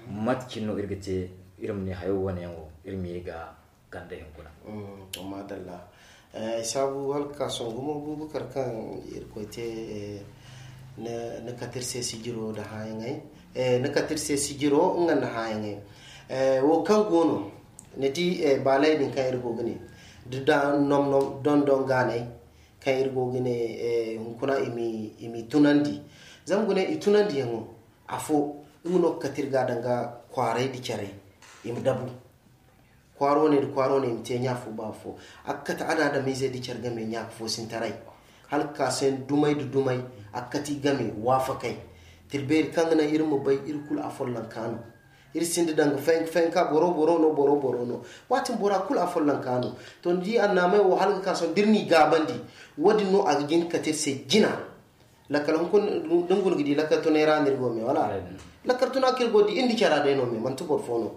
Mate cine no iri ga te iri ma ne hayo wane yaŋ wo iri ma ye ga kande hinkuna? To, madalla. Ay saabu hala ka ka sohõ gumo, bubakar kaŋ irkoy te, ni kate iri se sijiro nda hãayaŋey. Ni kate iri se sijiro nga nda hãayaŋey. Wo kaŋ go no, ni di, baaley din kaŋ iri go ga ne, da nomnom dondon gaaney kaŋ iri go ga ne, hunkuna i m'i tunandi. Zama gune i tunandiyaŋo, afo nga no ga kate iri ga danga kwaaray nda carey i ma dabu. Kwaaro ne nda kwaaro ne i ma te ɲa fo ba fo. A ga kate adaadamiizey nda care game ɲa fo sintaray. Hala ga ka se dumay nda dumay, a ga kate i game waafakay. Tilbeeri kaŋ ga naŋ iri ma bay iri kulu afollonka no. Iri sinda danga fayanka fayanka, boro boro no, boro boro no. Waati bora kulu afollonka no. To ni di annaamey wo hala ga ka sohõ da iri n'i gaabandi, wo-din no a ga jin ga kate iri se jina. Lakkal hunkuna da ni guna ga di lakkal tunay ra no iri go me wala? Lakkal tuna kaŋ iri go ga di iri nda cara day no me, manti boro fo no.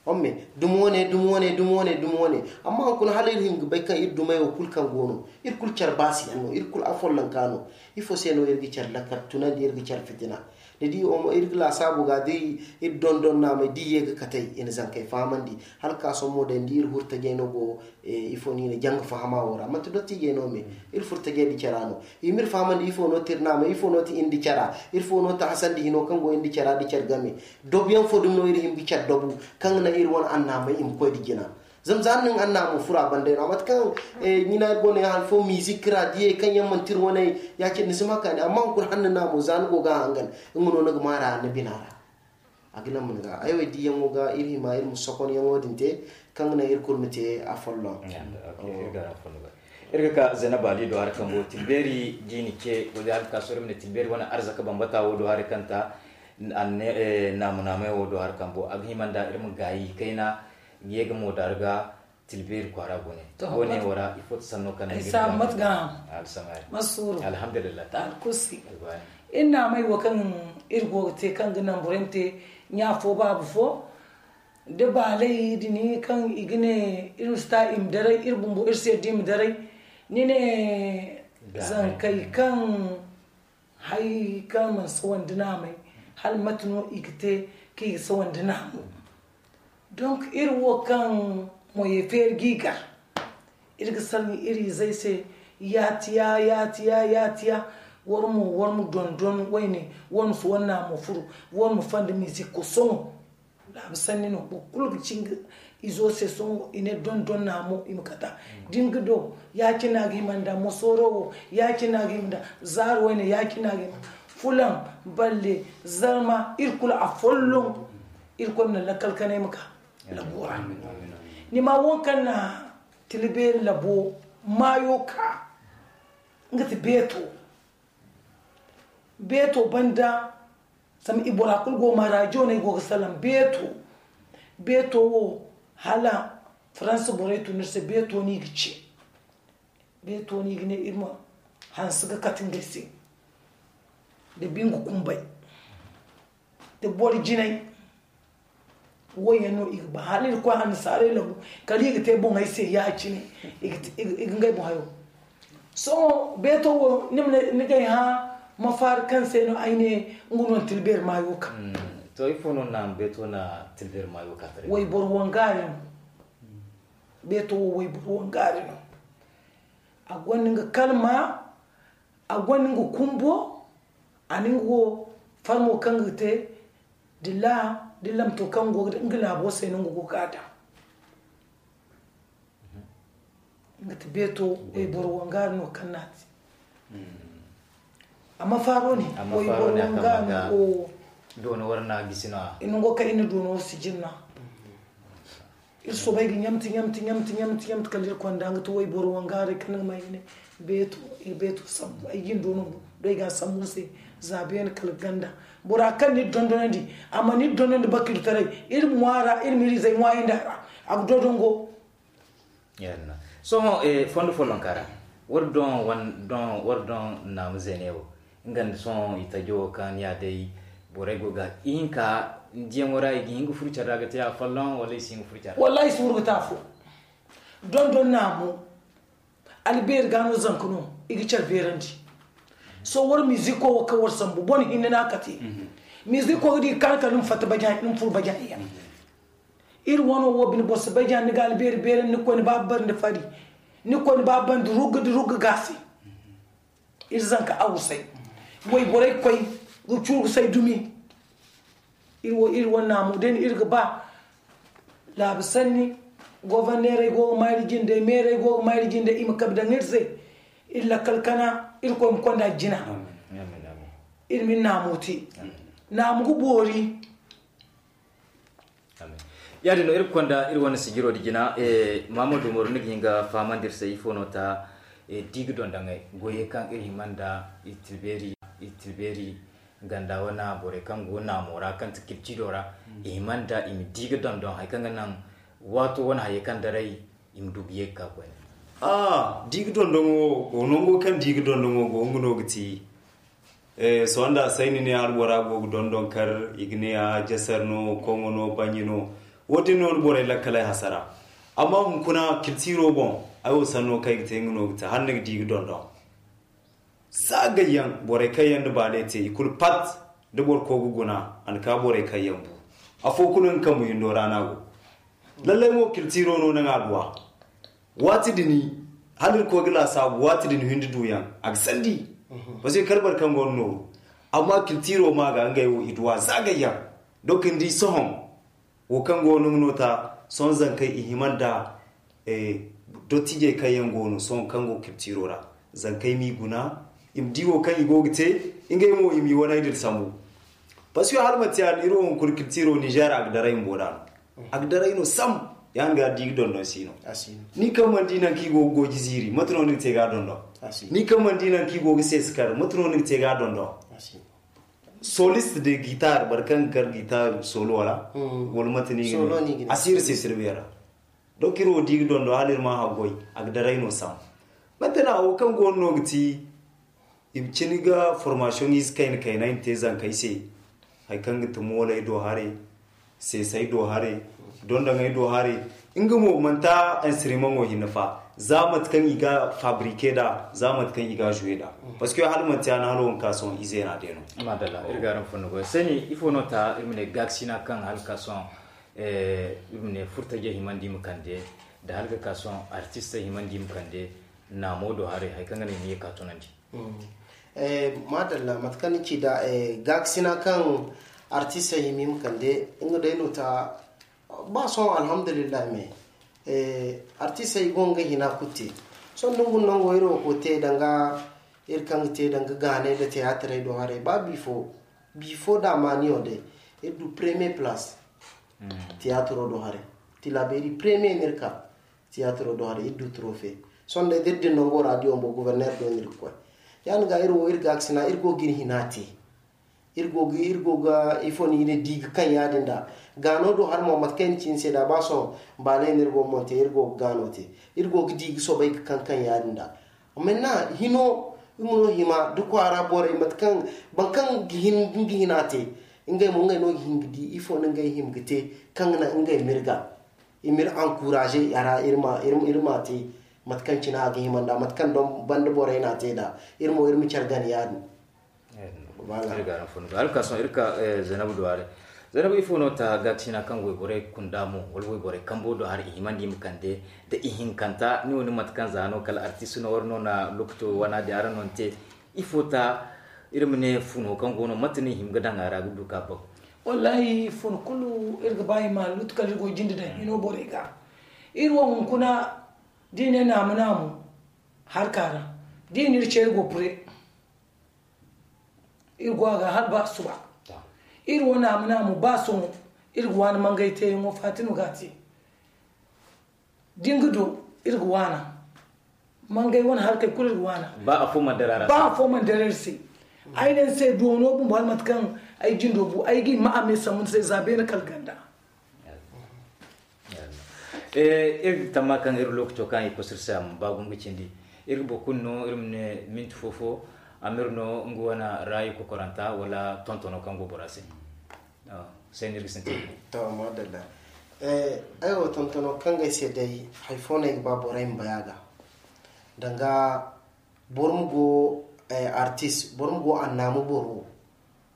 Homme dumi wane, dumi wane, dumi wane, dumi wane. Amma hunkuna hala iri hin ga bay kaŋ iri dumey wo kulu kaŋ go no, iri kulu care baasiyaŋ no, iri kulu afollonka no. Ifo se no iri ga care lakkal tunandi, iri ga care fitina? Ni di iri ga laasaabu ga da iri dondon naamey da i ye ga katey i na zankey fahamandi. Hala ga ka sohõ mo day ni di iri hurtajey no go ifo no i na janga fahama wo ra, manti dottijey no me. Iri furtajey nda cara no. I m'iri fahamandi ifo no ti iri naamey, ifo no ti iri nda cara, ifo no ti hasandi hino kaŋ go iri nda cara nda care game. Dobuyaŋ fo dumi no iri hima ga care dobu kaŋ ga naŋ iri wane annaamey i ma koy nda jina. Zama za ni na ni annaamo furo a banda no, a mate kaŋ ɲina iri go no yaŋ hari fo mizik ra diyey kaŋ yaŋ manti iri wane, ya-cine ni si ma kaani. Amma hunkuna hala ni naamo za ni go ga a hangan, nga no ni ga maara ni bina ra. A ga naŋ ma ni ga ay wo diyaŋo ga iri hima iri ma sokonyaŋo din te, kaŋ ga naŋ iri kulu ma te afolloŋ. Iri ga ka Zainab Ali do hari kambo tilbeeri da i na ce wala hala ga ka sohõ iri ma ne tilbeeri wane arzaka bambata wo do hari kaŋ ta, naamu-naamey wo do hari kambo a ga hima nda iri ma gaayi kayna ga ye ga mo da iri ga. Tilbeeri kwaara gune. Gune wo ra ifo ti sanno kaŋ ay saabu mate ga. Alhamdulillah. Iri naamey wo kaŋ iri go ga te kaŋ ga naŋ borey ma te ɲa fo baabu fo, da baaley din kaŋ i ga ne iri ma si ta i ma daray, iri bumbo iri se da i ma daray. Ni ne zankey kaŋ hari kaŋ mana sawandi naamey, hala mate no i ga te kaŋ i ga sawandi naamo? Donc iri wo kaŋ moyey feeri g'i gar, iri ga salaŋ iri izey se, yaatiya yaatiya yaatiya. War mo war ma dondon wayne, war ma si war naamo furu, war ma fanda mizik kosoŋo. Laabu sanni no, boro kulu ga ci nga izo se sohõ i ne dondon naamo i ma kata. Da ni ga do, ya-cine no a ga hima nda mosooro wo, ya-cine no a ga hima nda zaaro wayne, ya-cine no a ga hima nda fulaŋ, balle, zarma, iri kulu afolloŋ. Irkoy ma naŋ lakkal kanay ma ka labo ra. Ni ma wo kaŋ na tila beeri labo maayo ka, nga ti beeto. Beeto banda, zama i bora kulu go ma rajo no ay go ga salaŋ beeto. Beeto wo, hala faransa borey tun iri se, beeto no i ga ce. Beeto no i ga ne iri ma hanse ga kate ngey se nda bingu kumbay nda boro jinay. Wo yaŋ no i ga ba hala iri koy annasaarey labu, kala i ga te boŋey se ya-cine. I ga ngey boŋ hayo. Sohõ beeto wo ni ga ay hã mafaari kaŋ se no ay ne nga no na tila beeri maayo ka. To ifo no na beeto na tila beeri maayo ka taray? Wayboro wangaari no. Beeto wo wayboro wangaari no. A gonda nga kalma, a gonda nga kumbo. A na nga wo farmo kaŋ ga te dilla, dilla ma to kaŋ go nga laabo se no nga go ga daŋ. Nga ti beeto wayboro wangaari no kaŋ na a te. Amma faaro ne wayboro wangaari no. Doono wara na gisi no a. I nango kaŋ i na doono sijin no a. Iri soobay ga ɲamti ɲamti ɲamti ɲamti ɲamti kala iri konda nga ti wayboro wangaari kaŋ nga ma ay ne beeto. Iri beeto sambu ay jin doono do ay ga sambu se. Za beene kala ganda bora kaŋ ni dondonandi, amma ni dondonandi bakiltaray. Iri ŋwaara iri ma iri izey ŋwaayandi a ra. A ga dodongo. Yalla. Sohõ fondo follonka ra, war doŋ naamu zeene wo, nga nda sohõ i tajo wo kaŋ ni a day, borey go ga ihinka diyaŋo ra i ga hin ga furo care ra ga te a folloŋ wala i si hin ga furo care ra? Wallaahi i si furo ga te afo. Dondon naamu, albeeri ga no zanka no i ga care beerandi. Sohõ war miziko wo kaŋ war sambu bone hinne no a kate. Miziko ga di ga kaanu kala ni ma fatta bajaani ni ma furo bajaani yaŋ. Iri wano wo bine boro si bay jaani ni ga albeeri beerandi ni koy ni ba bandi fari, ni koy ni ba bandi rugga da rugga gaasi. Iri zanka awusay wayborey koy ga curu ga say dumi. Iri wo iri wane naamu day no iri ga ba. Laabu sanni goborneerey go ga mayri jinde meerey go ga mayri jinde i ma kabe daŋ iri se. Iri lakkal kana iri koy ma konda jina. Iri ma iri naamu te. Naamu ga boori. Ya-din no iri ga konda iri wane sijiro da jina. Maamadu umaru ni ga hin ga fahamandi iri se ifo no ta? Di ga dondoŋey goyey kaŋ iri hima nda iri tilbeeri ganda wane borey kaŋ go naamo ra kaŋ ti kiltido ra. I hima nda i ma di ga dondon hari kaŋ ga naŋ waato wane hayey kaŋ daray i ma du ga ye ga ka koyne. A di ga dondoŋo go nango kaŋ di ga dondoŋo go nga no ga ti. Sohõ nda a say ni ne albora go ga dondon kar i ga ne a jasar no koŋo no banji no. Wo- din no ni borey lakkaley hasara. Amma hunkuna kiltiro boŋ ay wo sanno kaŋ ay ga te nga no ga te hala ni ga di ga dondon. Za gayyaŋ borey kaŋ yaŋ da baale te i kulu pat. Da boro ko ga guna a na ka borey kaŋ yaŋ bu. Afo kulu nga kambu hindo ra no a go. Lallay mo kiltiro no naŋ a duwa. Waati din hala iri koy ga laasaabu waati din hindi duyaŋ a ga sandi. Parce que kala boro kaŋ go no nooru. Amma kiltiro ma ga ngey wo i duwa za gayyaŋ. Donk ni di sohõ wo kaŋ go no nga no ta sohõ zankey i hima nda dottijey kaŋ yaŋ go no sohõ kaŋ go kiltiro ra. Zankey m'i guna i ma di wo kaŋ i go ga te. Ngey mo i m'i waney din sambu. Parce que hala manti yaadin iri wo hunkuna kiltiro niger a ga daray mbo da no a ga daray no sam. Yaŋ ga di ga dondon si no. Ni kaŋ mana di naŋ kaŋ i go ga gooji ziiri mate no ni ga te ga dondon? Ni kaŋ mana di naŋ kaŋ i go ga seesi kar mate no ni ga te ga dondon? Soliste de guitar boro kaŋ ga kar guitar solo wala wala mate ni ga ne a si iri seesi iri beera. Donc iri wo di ga dondon hala iri ma haggoy a ga daray no sam. Mate no a wo kaŋ go no ga ti i ma cini ga formation ize kayna kayna i ma te zankey se. Hari kaŋ ga ti mooley do haray, seesey do haray, dondoŋey do haray. Nga mo manti instrument wo hinne fa za mate kaŋ i ga fabriquer nd'a za mate kaŋ i ga jouer nd'a. Parce que hala manti yaadin hala wo ga ka sohõ izeena day no. Madalla iri ga araŋ fondo goy sani ifo no ta iri ma ne gaakasina kaŋ hala ga ka sohõ iri ma ne furtajey himandi i ma kande nda hala ga ka sohõ artistey himandi i ma kande naamo do haray hari kaŋ ga naŋ i ma ye ka tunandi. Madalla mate kaŋ ni ci nd'a gaakasina kaŋ artistey hima i ma kande nga day no ta. Ba sohõ alhamdulillahi me artistey i go nga hina kulu te. Sohõ da ni guna nango iri wo koy te danga iri kaŋ ga te danga gaanay nda tiyaatarey do haray ba bifo bifo da maaniyo day iri du premier place. Tiyatiro do haray tilabeeri premier no iri ka tiyatiro do haray iri du trofe. Sohõ day da iri din nango radio mbo gouverneur do no iri ga koy. Yaadin ga iri wo iri gaakasina iri go ga iri hina te. Iri go ga iri go ga ifo no i ne di ga kaŋ yaadin da gaano do hari mo mate kaŋ ni ci ni se da ba sohõ baaley no iri go ga monte iri go ga gaano te. Iri go ga di ga soobay ga kaŋ kaŋ yaadin da. Amma ni na hino iri ma no hima da kwaara borey mate kaŋ boro kaŋ ga hin nga hina te. Ngey mo ngey no ga hin ga di ifo no ngey hima ga te kaŋ ga naŋ ngey ma iri ga i ma iri encourager a ra iri ma iri ma te. Mate kaŋ cine a ga hima nda mate kaŋ banda borey no a te nda iri mo iri ma care gana yaadin. Iri ga araŋ fo no ga hala ga ka sohõ iri ka zaynabu duwaare. Zaynabu ifo no ta gaakasina kaŋ wayborey kunda mo wala wayborey kambo do hari i himandi i ma kande nda ihinkanta ni wo ni mate kaŋ za no kala artist no war no na lokaco wana din araŋ no ni te. Ifo ta iri ma ne funo kaŋ go no mate no i hima ga daŋ a ra ga du ka baŋ? Wallahi fun kulu iri ga ba i ma lutu kala iri go jinde daŋ hino borey ga. Iri wo hunkuna da i ne naamu naamu harka ra da i na iri ce iri go pure. Iri go a ga hala ba suba. Iri wo naamu naamu ba sohõ iri ga waani mangay teeyaŋo fatima ga a te. Da ni ga du iri ga waana. Mangay wane harkey kulu iri ga waana. Ba afo mana dara iri se. Ay ne ni se doono bumbo hala mate kaŋ ay jindo bu ay ga i ma a me sambu ni se za beene kala ganda. Eh, iri ga tamma kaŋ iri lookaco kaŋ i kosu iri se a ma ba gumo ga cindi. Iri ga boro kulu no, iri ma ne minti fo-fo, a ma iri no nga wane raayi kokoranta wala tontono kaŋ go bora se. Ah, se no iri ga sintin. To, madalla. Eh, ay wo tontono kaŋ ga ay se day, hari fo no ay ga ba borey ma bay a ga. Danga boro ma go, eh, artist, boro ma go annaamu boro,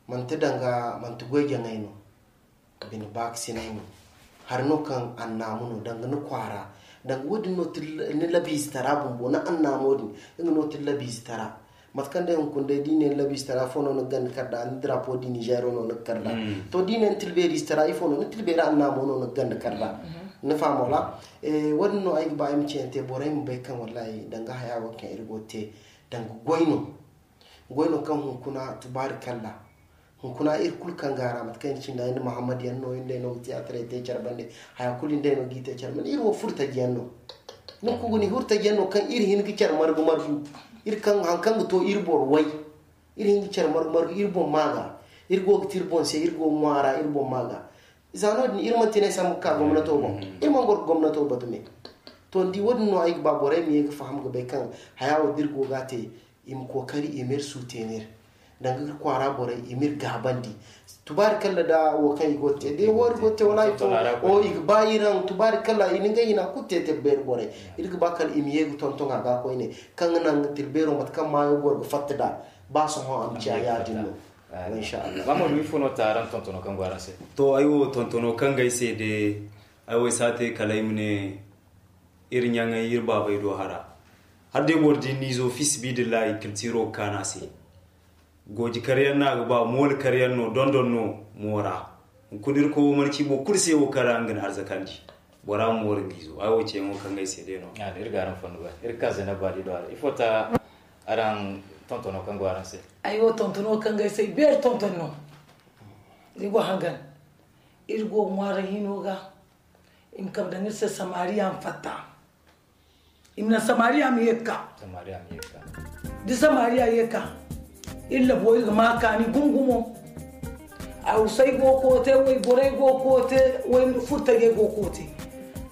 manti danga, manti goy jaŋay no. Bine baakasinay no. Hari no kaŋ annaamu no, danga ni kwaara. Danga wo-din no ti ni labiizitara bumbo, ni annaamo din, nga no ti labiizitara. Mate kaŋ day hunkuna day, da i ne ni labiizitara fo no ni ga ganda kar da, ni drapeau du Niger no ni ga kar da. To, da i ne ni tilbeeriizitara ifo no, ni tilbeeri annaamo no ni ga ganda kar da. Ni faham wala? Eh, wo-din no ay ga ba ay ma ciyante borey ma bay kaŋ wallahi danga haya wo kaŋ iri go ga te, danga goy no. Goy no kaŋ hunkuna tubaari kalla. Hunkuna iri kulu kaŋ ga a ra, mate kaŋ iri cindi ay nda Muhammad yaŋ no, iri day no ga tiyaatarey te care bande. Haya kulu iri day no ga i te care bande. Iri wo furtaji yaŋ no. Ni ga guna, iri furtaji yaŋ no kaŋ iri hin ga care margu-margu. Iri kaŋ, haŋ kaŋ ga to iri boro way. Iri hin ga care margu-margu, iri boŋ ma ga. Iri go ga te iri boŋ se, iri go ga ŋwa a ra, iri boŋ ma ga. Za no-din, iri mana ti ne sambu ga ka gomnato boŋ. Iri mana goro ga gomnato batu me. To, ni di, wo-din no ay ga ba borey ma ye ga faham ga bay kaŋ haya wo da iri go ga a te, i ma kookari, i ma iri suutenir. Danga ga kwaara borey, i ma iri gaabandi. Tubaari kalla da wo kaŋ i go ga te. Da wo iri go ga te, wala i fo, o, i ga ba iri haŋ. Tubaari kalla, i na ngey hina kulu te te beeri borey. Iri ga ba kala i ma ye ga tonton a ga koyne. Kaŋ ga naŋ ga tira beero, mate kaŋ maayo goro ga fatta da. Ba sohõ a ma ciya yaadin no. Insha Allah. Ba mo, ifo no ta araŋ tontono kaŋ go araŋ se? To, ay wo tontono kaŋ ga ay se de, ay wo ay si a te kala ay ma ne, iri ɲaŋay, iri baabey do hara. Hala day boro di ni izo fi sabiilillahi, kiltiro ga kaan a se. Gooji karyaŋ no a ga ba, mooli karyaŋ no, dondon no mo ra. Hunkuna Irkoy wo mana ci boro kulu se wo kaŋ ra nga na arzakandi. Bora ma moori nga izo. Ay wo ceeyaŋo kaŋ ga ay se day no. Iri ga araŋ fonda goy. Iri ga ka Zainabu Baali do a ra. Ifo ta araŋ tontono kaŋ go araŋ se? Ay wo tontono kaŋ ga ay se, beeri tonton no. Iri go hangan. Iri go ŋwaari hino ga. I ma kabe daŋ iri se Samariya ma fatta. I ma naŋ Samariya ma ye ga ka. Samariya ma ye ga ka. Da Samariya ye ga ka, iri labo iri ga ma kaani gumo-gumo. Awsay go ga koote, wayborey go ga koote, way furtajey go ga koote.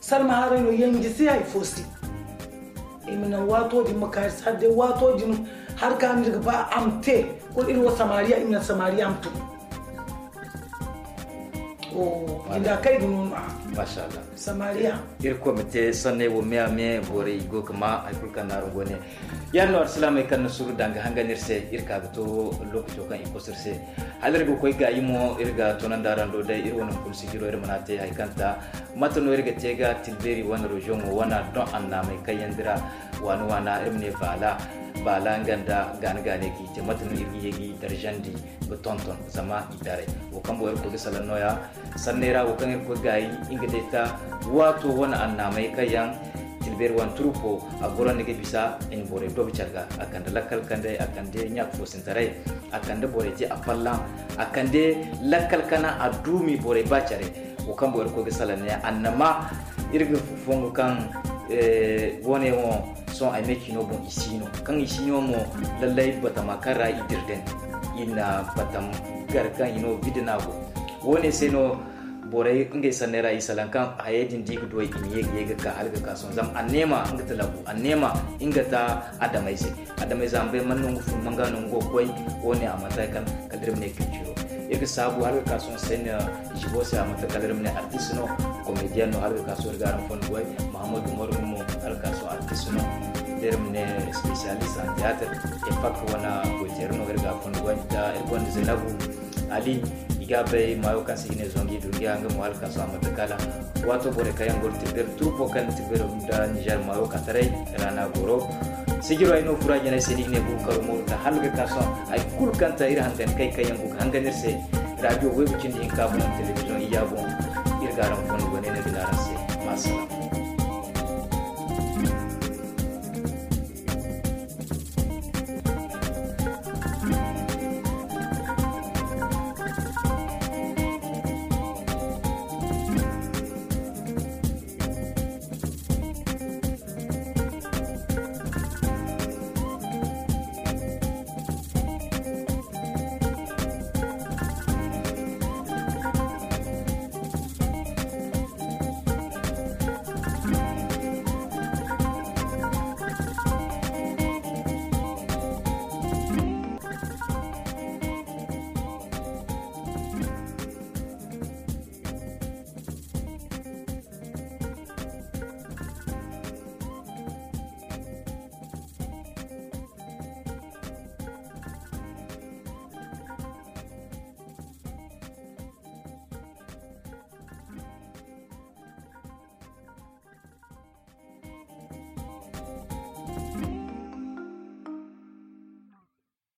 Salma haray no, yanji si hay fo si. I ma naŋ waato din ma ka iri se, hala day waato din hari kaŋ iri ga ba a ma te, kulu iri wo Samariya, i ma naŋ Samariya ma tun. Jinda kay ga no no a. Masha Allah. Samariya. Iri koy ma te sanney wo me a me, borey go ga ma hay kulu kaŋ no araŋ go ne. Yaadin no, alsilaamey kaŋ na suru danga hangan iri se, iri ka ga to lookaco kaŋ i kosu iri se. Hala iri ga koy gaayi mo, iri ga toonandi araŋ do day, iri wane hunkuna sijiro, iri mana te hay kaŋ ta. Mate no iri ga te ga Tilbeeri wane reziyoŋo wane doŋ annaamey kaŋ yaŋ dira waana-waana, iri ma ne baala, baala nga nda gaana-gaanay kaŋ i te. Mate no iri ga ye ga i darjandi ga tonton zama i daray. Wo kaŋ boŋ Irkoy ga salaŋ nooya, sanney ra wo kaŋ Irkoy gaayi, nga day ta waato wane annaamey kaŋ yaŋ Tilbeeri wane turupo a gorandi ga bisa i na borey dogo care ga. A kande lakkal kandey, a kande ɲaaka foosintaray, a kande borey te a fallaŋ, a kande lakkal kana a duumi borey ba care. Wo kaŋ boŋ Irkoy ga salaŋ ne annama, iri ga fongu kaŋ, eh, woone wo sohõ ay me ciino boŋ i si no. Kaŋ i si no mo, lallay batama kaŋ ra i dira din, i na batam gar kaŋ i no bidina go. Woone se no borey ngey sanney ra i salaŋ kaŋ hayey din da i ga duw'ey i ma ye ga ye ga ka hala ga ka sohõ. Zama anneema nga ta labu, anneema nga ta adamayze. Adamayze a ma bay man no nga fun, man ga no nga go ga koy. Woone a manti hay kaŋ kala iri ma ne culture. Iri ga saabu hala ga ka sohõ Seyna Jibo se, a manti kala iri ma ne artiste no, comédien no, hala ga ka sohõ iri ga araŋ fondo goy. Muhammadu Umaru mo hala ga ka sohõ artiste no, da iri ma ne spécialiste en théâtre, époque wane goyteeri no iri ga a fondo goy. Da iri gonda Zainabu Ali, i ga bay maayo kaŋ se i ga ne Zongi Dundiya, nga mo hala ga ka sohõ a manti kala waato borey kaŋ yaŋ go ga Tilbeeri turpo kaŋ na Tilbeeri nda Niger maayo ka taray ra no a goro. Sijiro ay no fura jinay se no i ga ne Bukar Umaru ta hala ga ka sohõ hay kulu kaŋ ta iri hangan kay kaŋ yaŋ go ga hangan iri se. Radio Waygu cindi hinka boŋ, television iyya boŋ, iri ga araŋ fondo goy ne, ne ga ne araŋ se. Ma salaam.